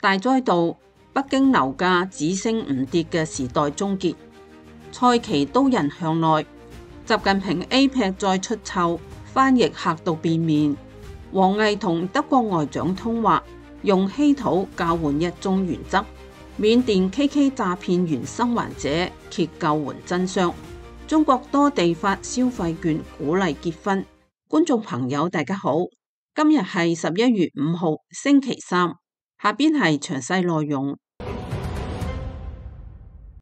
大災道，北京樓價只升唔跌嘅時代終結。蔡奇刀刃向內，習近平 APEC 再出醜，翻譯嚇到變面。王毅同德國外長通話，用稀土交換一中原則。緬甸 KK 詐騙員生還者揭救援真相。中國多地發消費券鼓勵結婚。觀眾朋友大家好，今日係11月5號星期三，下邊係詳細內容。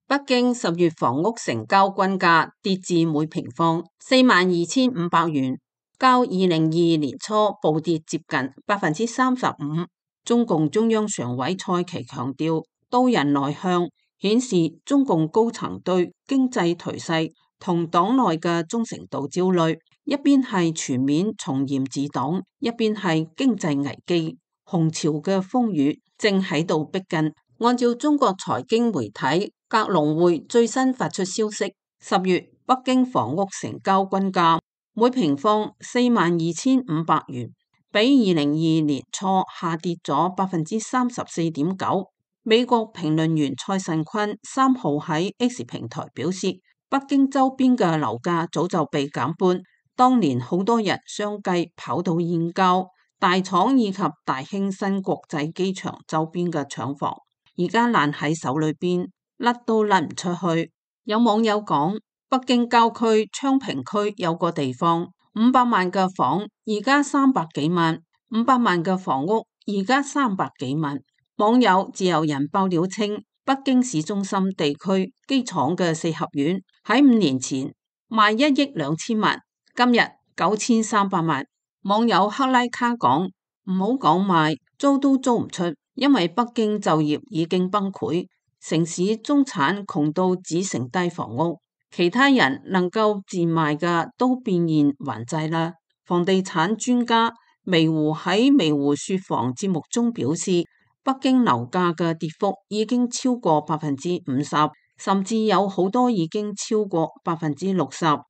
北京10月房屋成交均價跌至每平方42,500元，較2022年初暴跌接近35%。中共中央常委蔡奇強調，刀刃內向，顯示中共高層對經濟頹勢同黨內嘅忠誠度焦慮。一邊係全面從嚴治黨，一邊係經濟危機，紅潮嘅風雨正喺度逼近。按照中國財經媒體格隆匯最新發出消息，10月北京房屋成交均價每平方42,500元，比2022年初下跌咗34.9%。美國評論員蔡慎坤3號喺 X 平台表示，北京周邊嘅樓價早就被減半。當年好多人相繼跑到燕郊、大廠以及大興新國際機場周邊嘅廠房，而家爛喺手裏邊，甩都甩唔出去。有網友講，北京郊區昌平區有個地方500萬嘅房，而家300幾萬；500萬嘅房屋，而家300幾萬。網友自由人爆料稱，北京市中心地區機廠嘅四合院喺5年前賣1億2千萬。今日9300萬。網友克拉卡講，唔好講賣，租都租唔出，因為北京就業已經崩潰，城市中產窮到只剩低房屋，其他人能夠自賣嘅都變現還債啦。房地產專家微湖喺微湖說房節目中表示，北京樓價嘅跌幅已經超過50%，甚至有好多已經超過60%。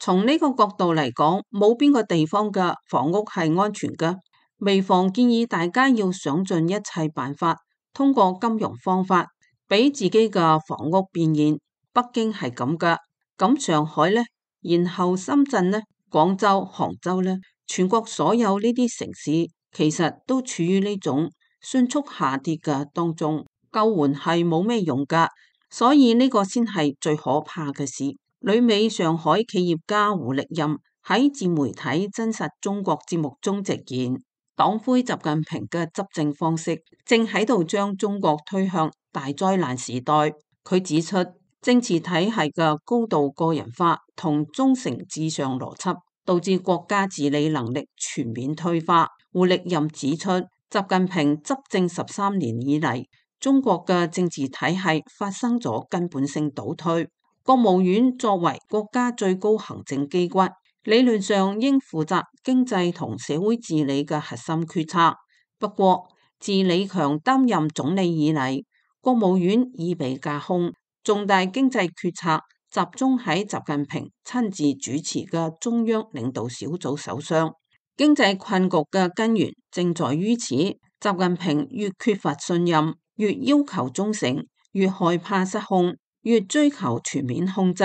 從呢個角度嚟講，冇邊個地方嘅房屋係安全嘅。微房建議大家要想盡一切辦法，通過金融方法，俾自己嘅房屋變現。北京係咁噶，咁上海呢，然後深圳呢，廣州、杭州呢，全國所有呢啲城市其實都處於呢種迅速下跌嘅當中，救援係冇咩用噶，所以呢個先係最可怕嘅事。旅美上海企業家胡力任喺自媒體真實中國節目中直言，黨魁習近平嘅執政方式正喺度將中國推向大災難時代。佢指出，政治體系嘅高度個人化同忠誠至上邏輯，導致國家治理能力全面退化。胡力任指出，習近平執政13年以嚟，中國嘅政治體系發生咗根本性倒退。國務院作為國家最高行政機關，理論上應負責經濟同社會治理嘅核心決策。不過，自李強擔任總理以嚟，國務院已被架空，重大經濟決策集中喺習近平親自主持嘅中央領導小組手上。經濟困局嘅根源正在於此。習近平越缺乏信任，越要求忠誠，越害怕失控，越追求全面控制，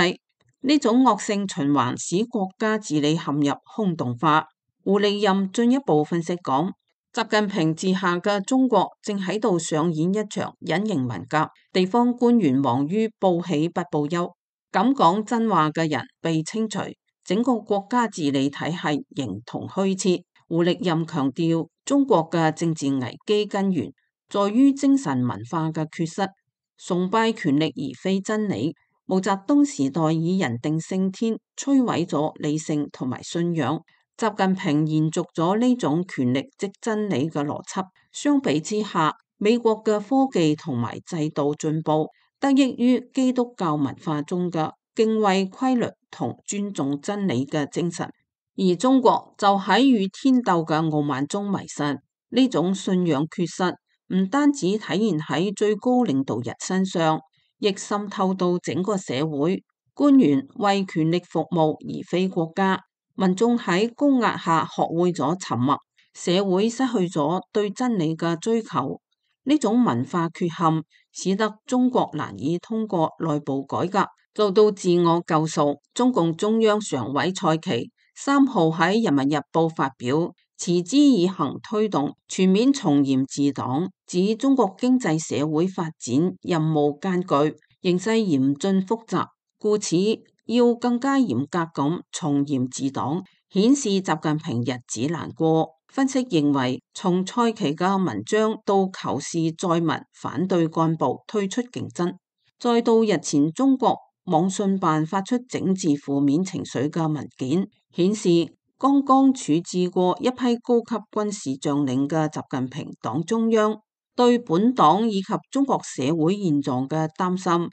呢種惡性循環使國家治理陷入空洞化。胡力任進一步分析講，習近平治下嘅中國正喺度上演一場隱形文革，地方官員忙於報喜不報憂，敢講真話嘅人被清除，整個國家治理體系形同虛設。胡力任強調，中國嘅政治危機根源在於精神文化嘅缺失，崇拜權力而非真理。毛澤東時代以人定勝天，摧毀咗理性同埋信仰。習近平延續咗呢種權力即真理嘅邏輯。相比之下，美國嘅科技同埋制度進步，得益於基督教文化中嘅敬畏規律同尊重真理嘅精神。而中國就喺與天鬥嘅傲慢中迷失。呢種信仰缺失唔單止體現喺最高領導人身上，亦滲透到整個社會。官員為權力服務而非國家，民眾喺高壓下學會咗沉默，社會失去咗對真理嘅追求。呢種文化缺陷使得中國難以通過內部改革做到自我救贖。中共中央常委蔡奇3號喺《人民日報》發表持之以恆推動全面從嚴治黨，指中國經濟社會發展任務艱巨，形勢嚴峻複雜，故此要更加嚴格咁從嚴治黨，顯示習近平日子難過。分析認為，從蔡奇嘅文章到求是載文反對幹部退出競爭，再到日前中國網信辦發出整治負面情緒嘅文件，顯示剛剛處置過一批高級軍事將領嘅習近平黨中央對本黨以及中國社會現狀嘅擔心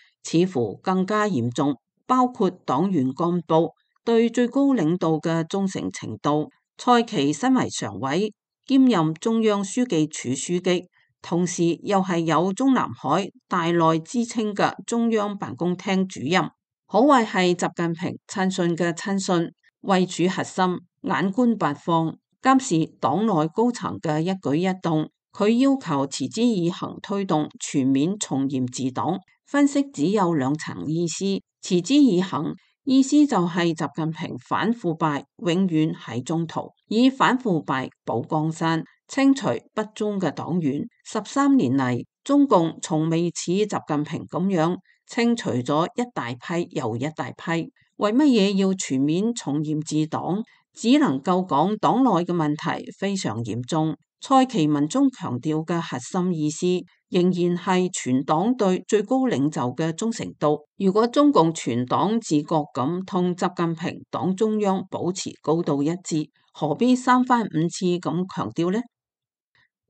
似乎更加嚴重，包括黨員幹部對最高領導嘅忠誠程度。蔡奇身為常委，兼任中央書記處書記，同時又係有中南海大內之稱嘅中央辦公廳主任，可謂係習近平親信嘅親信，位處核心，眼觀八方，監視黨內高層嘅一舉一動。佢要求持之以恆推動全面從嚴治黨，分析只有2層意思。持之以恆意思就係習近平反腐敗永遠喺中途，以反腐敗保江山，清除不忠嘅黨員。13年嚟，中共從未似習近平咁樣清除咗一大批又一大批。為乜嘢要全面從嚴治黨？只能夠講黨內嘅問題非常嚴重。蔡奇文中強調嘅核心意思，仍然係全黨對最高領袖嘅忠誠度。如果中共全黨自覺咁同習近平黨中央保持高度一致，何必3番5次咁強調呢？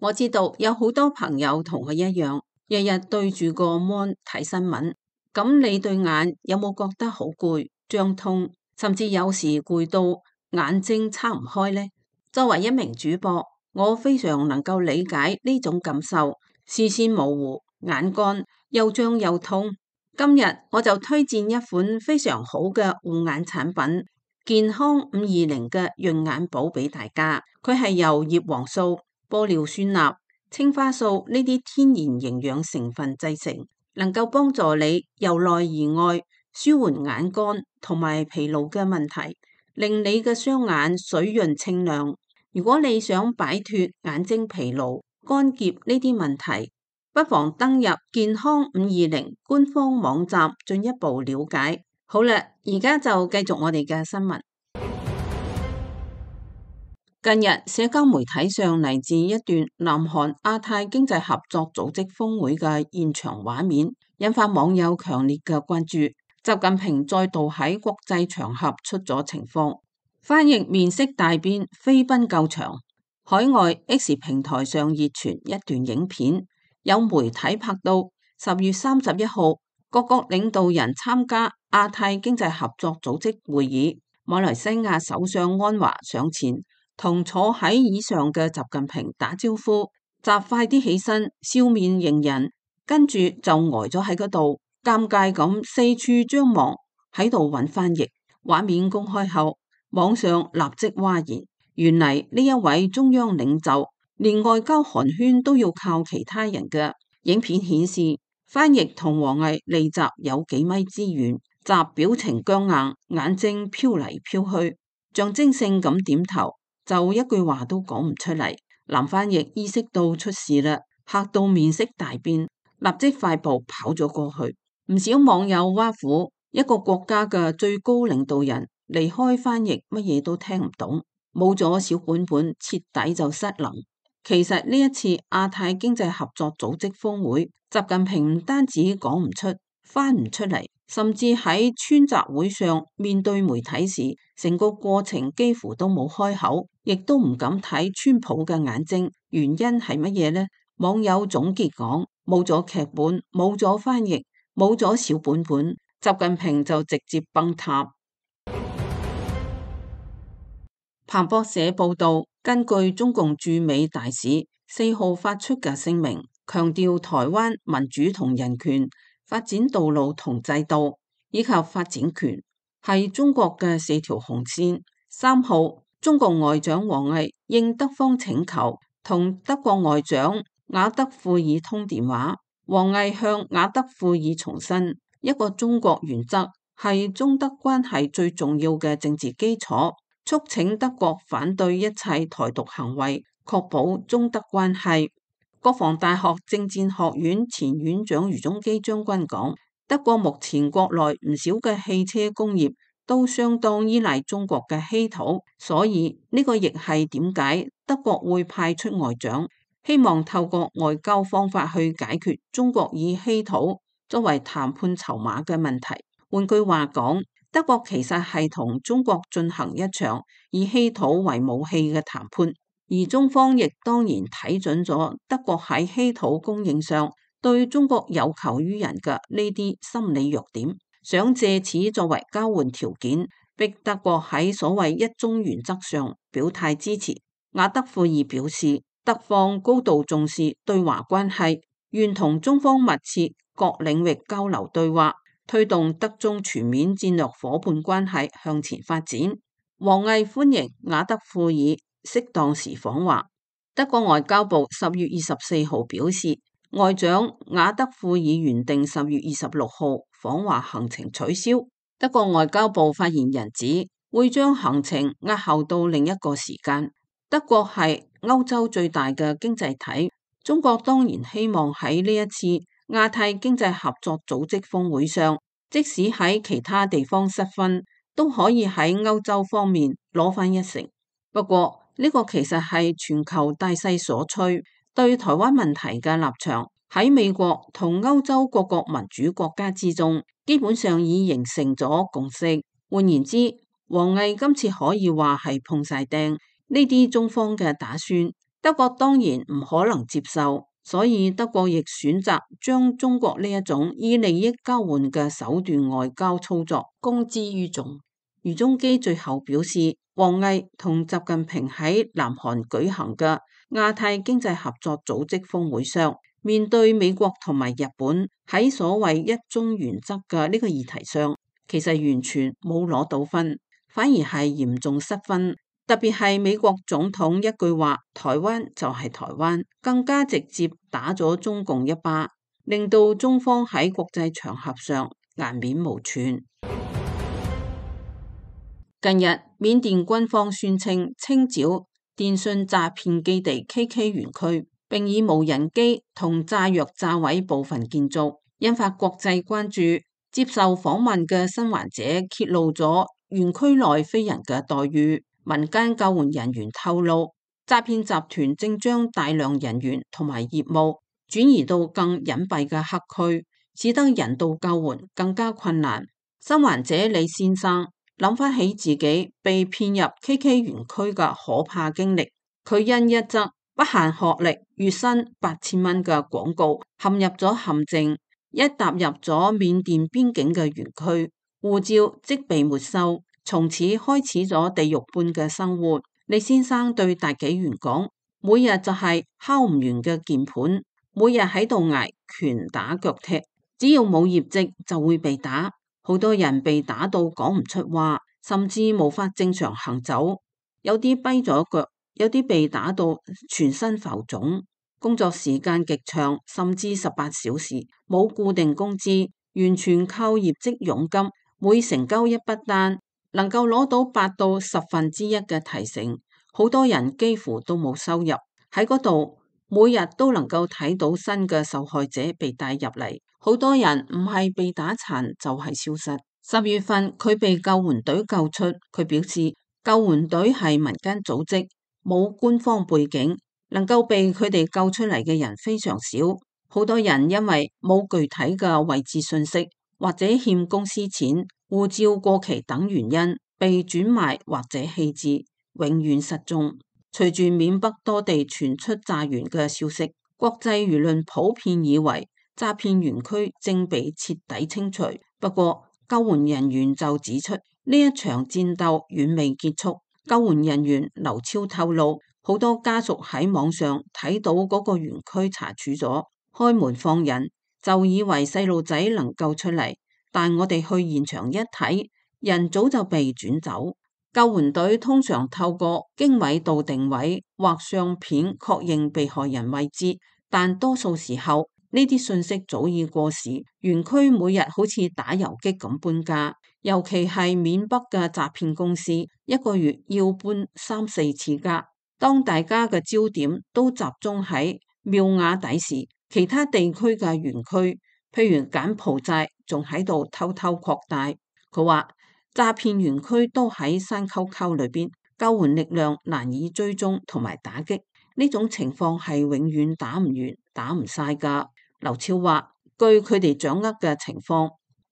我知道有好多朋友同我一樣，日日對住個 mon 睇新聞，咁你對眼有冇覺得好攰、脹痛，甚至有時攰到眼睛撐唔開呢？作為一名主播，我非常能夠理解呢種感受，視線模糊、眼乾、又脹又痛。今日我就推薦一款非常好嘅護眼產品——健康520嘅潤眼寶俾大家。佢係由葉黃素、玻尿酸鈉、青花素呢啲天然營養成分製成，能夠幫助你由內而外舒緩眼乾同埋疲勞嘅問題，令你嘅雙眼水潤清亮。如果你想擺脫眼睛疲勞、乾澀呢啲問題，不妨登入健康520官方網站進一步了解。好啦，而家就繼續我哋嘅新聞。近日社交媒體上嚟自一段南韓亞太經濟合作組織峰會嘅現場畫面，引發網友強烈嘅關注。習近平再度喺國際場合出咗情況。翻譯面色大變，飛奔救場。海外 X 平台上熱傳一段影片，有媒體拍到10月31號，各國領導人參加亞太經濟合作組織會議，馬來西亞首相安華上前同坐喺椅上嘅習近平打招呼，習快啲起身，笑面迎人，跟住就呆咗喺嗰度，尷尬咁四處張望，喺度揾翻譯。畫面公開後，網上立即譁然，原嚟呢一位中央領袖連外交寒暄都要靠其他人嘅。影片顯示翻譯同王毅離習有幾米之遠，習表情僵硬，眼睛飄嚟飄去，象徵性咁點頭，就一句話都講唔出嚟。男翻譯意識到出事啦，嚇到面色大變，立即快步跑咗過去。唔少網友挖苦一個國家嘅最高領導人離開翻譯乜嘢都聽唔懂，冇咗小本本徹底就失能。其實呢一次亞太經濟合作組織峰會，習近平唔單止講唔出、翻唔出嚟，甚至喺川習會上面對媒體時，成個過程幾乎都冇開口，亦都唔敢睇川普嘅眼睛。原因係乜嘢呢？網友總結講：冇咗劇本，冇咗翻譯，冇咗小本本，習近平就直接崩塌。彭博社報道，根據中共駐美大使4號發出嘅聲明，強調台灣民主同人權、發展道路同制度以及發展權係中國嘅4條紅線。3號，中共外長王毅應德方請求，同德國外長瓦德庫爾通電話，王毅向瓦德庫爾重申，一個中國原則係中德關係最重要嘅政治基礎，促請德國反對一切台獨行為，確保中德關係。國防大學政戰學院前院長余宗基將軍講，德國目前國內唔少嘅汽車工業都相當依賴中國嘅稀土，所以呢個亦係點解德國會派出外長，希望透過外交方法去解決中國以稀土作為談判籌碼嘅問題。換句話講，德國其實係同中國進行一場以稀土為武器嘅談判，而中方亦當然睇準咗德國喺稀土供應上對中國有求於人嘅呢啲心理弱點，想借此作為交換條件，逼德國喺所謂一中原則上表態支持。瓦德庫爾表示，德方高度重視對華關係，願同中方密切各領域交流對話，推動德中全面戰略夥伴關係向前發展。王毅歡迎瓦德庫爾適當時訪華。德國外交部10月24號表示，外長瓦德庫爾原定10月26號訪華行程取消。德國外交部發言人指，會將行程押後到另一個時間。德國係歐洲最大嘅經濟體，中國當然希望喺呢一次亞太經濟合作組織峰會上，即使喺其他地方失分，都可以喺歐洲方面攞返一成。不過呢個其實係全球大勢所趨，對台灣問題嘅立場喺美國同歐洲各國民主國家之中，基本上已形成咗共識。換言之，王毅今次可以話係碰晒釘。呢啲中方嘅打算，德國當然唔可能接受，所以德國亦選擇將中國呢一種以利益交換嘅手段外交操作公之於眾。余宗基最後表示，王毅同習近平喺南韓舉行嘅亞太經濟合作組織峰會上，面對美國同埋日本喺所謂一中原則嘅呢個議題上，其實完全冇攞到分，反而係嚴重失分。特別係美國總統一句話，台灣就係台灣，更加直接打咗中共一巴，令到中方喺國際場合上顏面無存。近日，緬甸軍方宣稱清剿電信詐騙基地 KK 園區，並以無人機同炸藥炸毀部分建築，引發國際關注。接受訪問嘅生還者揭露咗園區內非人嘅待遇。民間救援人員透露，詐騙集團正將大量人員同埋業務轉移到更隱蔽嘅黑區，使得人道救援更加困難。生還者李先生諗翻起自己被騙入 KK 園區嘅可怕經歷，佢因一則不限學歷、月薪8000蚊嘅廣告陷入咗陷阱，一踏入咗緬甸邊境嘅園區，護照即被沒收。從此開始咗地獄般嘅生活。李先生對大紀元講，每日就係敲唔完嘅鍵盤，每日喺度挨拳打腳踢，只要冇業績就會被打。好多人被打到講唔出話，甚至無法正常行走，有啲跛咗腳，有啲被打到全身浮腫。工作時間極長，甚至18小時，冇固定工資，完全靠業績佣金，每成交一筆單能夠攞到8到1/10嘅提成，好多人幾乎都冇收入。喺嗰度每日都能夠睇到新嘅受害者被帶入嚟，好多人唔係被打殘就係消失。10月份佢被救援隊救出，佢表示救援隊係民間組織，冇官方背景，能夠被佢哋救出嚟嘅人非常少，好多人因為冇具體嘅位置信息，或者欠公司錢、護照過期等原因被轉賣或者棄置，永遠失蹤。隨住緬北多地傳出炸園嘅消息，國際輿論普遍以為詐騙園區正被徹底清除。不過救援人員就指出，呢一場戰鬥遠未結束。救援人員劉超透露，好多家屬喺網上睇到嗰個園區查處咗，開門放人，就以為細路仔能夠出嚟。但我哋去現場一睇，人早就被轉走。救援隊通常透過經緯度定位或相片確認被害人位置，但多數時候呢啲信息早已過時，園區每日好似打游擊咁搬家，尤其係緬北嘅詐騙公司，一個月要搬3-4次家。當大家嘅焦點都集中喺妙瓦底時，其他地區嘅園區，譬如柬埔寨，仲喺度偷偷擴大。佢話詐騙園區都喺山溝溝裏邊，救援力量難以追蹤同埋打擊，呢種情況係永遠打唔完、打唔晒噶。劉超話，據佢哋掌握嘅情況，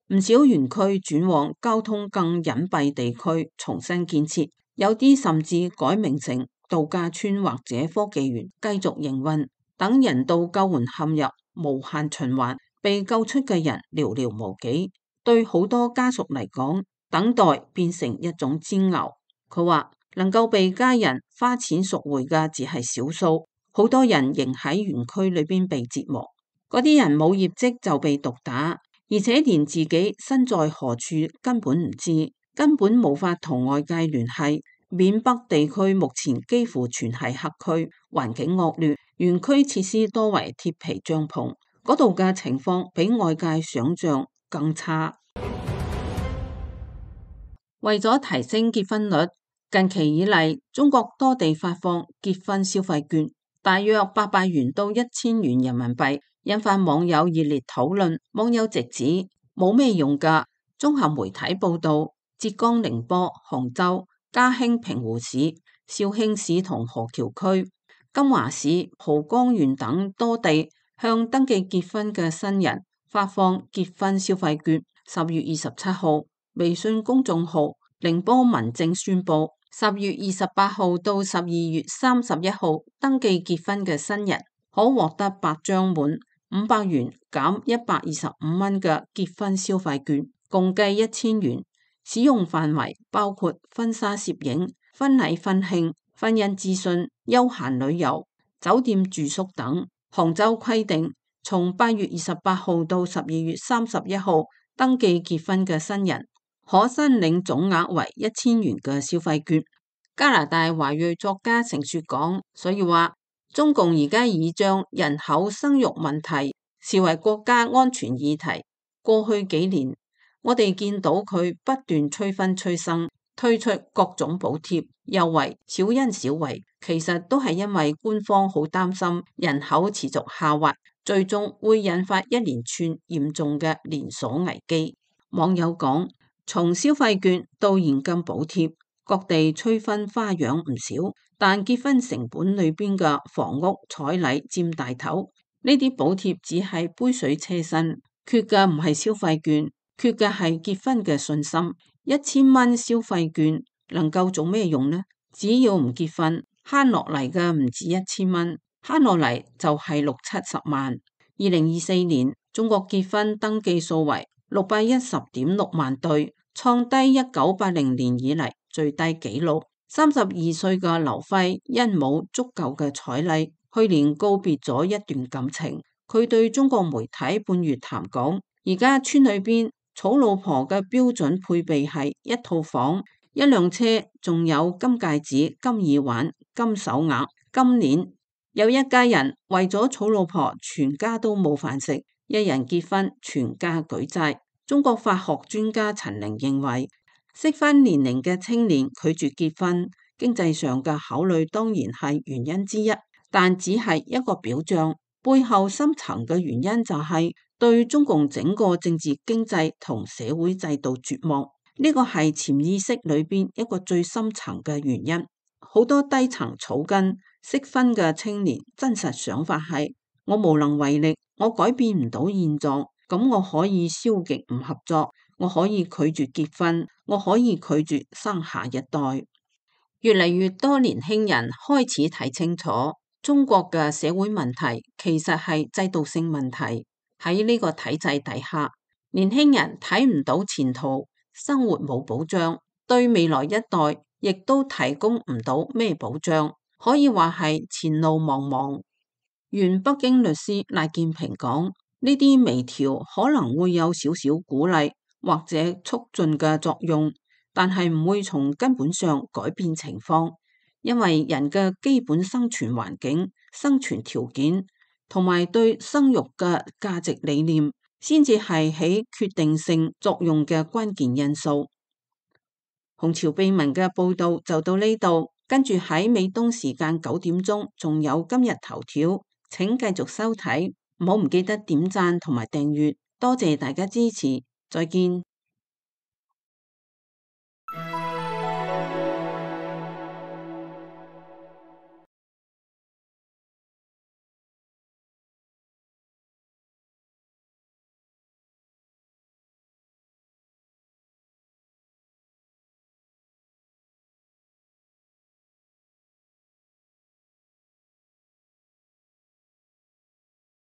唔少園區轉往交通更隱蔽地區重新建設，有啲甚至改名成度假村或者科技園繼續營運，等人道救援陷入無限循環，被救出嘅人寥寥無幾，對好多家屬嚟講，等待變成一種煎熬。佢話能夠被家人花錢贖回嘅只係少數，好多人仍喺園區裏邊被折磨，嗰啲人冇業績就被毒打，而且連自己身在何處根本唔知，根本無法同外界聯繫。緬北地區目前幾乎全係黑區，環境惡劣，園區設施多為鐵皮帳篷，嗰度嘅情況比外界想象更差。為咗提升結婚率，近期以嚟，中國多地發放結婚消費券，大約800元到1000元人民幣，引發網友熱烈討論。網友直指冇咩用㗎。綜合媒體報道，浙江寧波、杭州、嘉興平湖市、紹興市同河橋區、金華市、蒲江縣等多地向登記結婚嘅新人發放結婚消費券。10月27號，微信公眾號寧波民政宣布，10月28號到12月31號登記結婚嘅新人可獲得8張滿500元減125蚊嘅結婚消費券，共計1000元。使用範圍包括婚紗攝影、婚禮婚慶、婚姻諮詢、休閒旅遊、酒店住宿等。杭州規定，從8月28號到12月31號登記結婚嘅新人可申領總額為1000元嘅消費券。加拿大華裔作家程雪講，所以話中共而家已將人口生育問題視為國家安全議題。過去幾年，我哋見到佢不斷催婚催生，推出各種補貼、優惠、小恩小惠，其實都係因為官方好擔心人口持續下滑，最終會引發一連串嚴重嘅連鎖危機。網友講，從消費券到現金補貼，各地催婚花樣唔少，但結婚成本裏邊嘅房屋彩禮佔大頭，呢啲補貼只係杯水車薪，缺嘅唔係消費券，缺嘅係結婚嘅信心。1000蚊消費券能夠做咩用呢？只要唔結婚，慳落嚟嘅唔止1000蚊，慳落嚟就係60-70萬。2024年中國結婚登記數為610.6萬對，創低1980年以嚟最低紀錄。32歲嘅劉輝因冇足夠嘅彩禮，去年告別咗一段感情。佢對中國媒體半月談講，而家村裏邊娶老婆嘅標準配備係一套房、一輛車，仲有金戒指、金耳環、金手鐲、金鏈。有一家人為咗娶老婆，全家都冇飯食，一人結婚，全家舉債。中國法學專家陳玲認為，適婚年齡嘅青年拒絕結婚，經濟上嘅考慮當然係原因之一，但只係一個表象，背後深層嘅原因就係對中共整個政治經濟同社會制度絕望。呢個係潛意識裏邊一個最深層嘅原因。好多低層草根適婚嘅青年真實想法係，我無能為力，我改變唔到現狀，咁我可以消極唔合作，我可以拒絕結婚，我可以拒絕生下一代。越嚟越多年輕人開始睇清楚，中國嘅社會問題其實係制度性問題。喺呢個體制底下，年輕人睇唔到前途，生活冇保障，對未來一代亦都提供唔到咩保障，可以話係前路茫茫。原北京律師賴建平講，呢啲微調可能會有少少鼓勵或者促進嘅作用，但係唔會從根本上改變情況，因為人嘅基本生存環境、生存條件同埋對生育嘅價值理念，先至係起決定性作用嘅關鍵因素。紅潮秘聞嘅報道就到呢度，跟住喺美東時間9點鐘，仲有今日頭條，請繼續收睇，唔好唔記得點讚同埋訂閱，多謝大家支持，再見。